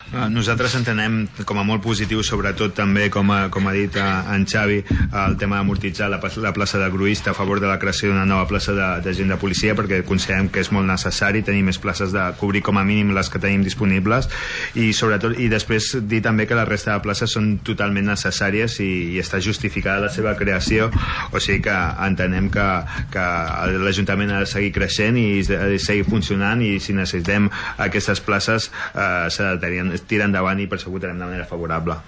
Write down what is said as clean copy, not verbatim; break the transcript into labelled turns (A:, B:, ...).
A: Nosaltres entenem com a molt positiu, sobretot també, com ha dit en Xavi, el tema d'amortitzar la plaça de gruista a favor de la creació d'una nova plaça d'agent de policia, perquè considerem que és molt necessari tenir més places, de cobrir com a mínim les que tenim disponibles, i sobretot, i després dir també que la resta de places són totalment necessàries i està justificada la seva creació, o sigui que entenem que l'Ajuntament ha de seguir creixent i seguir funcionant, i si necessitem aquestes places s'ha de tirar endavant, i per això votarem de manera favorable.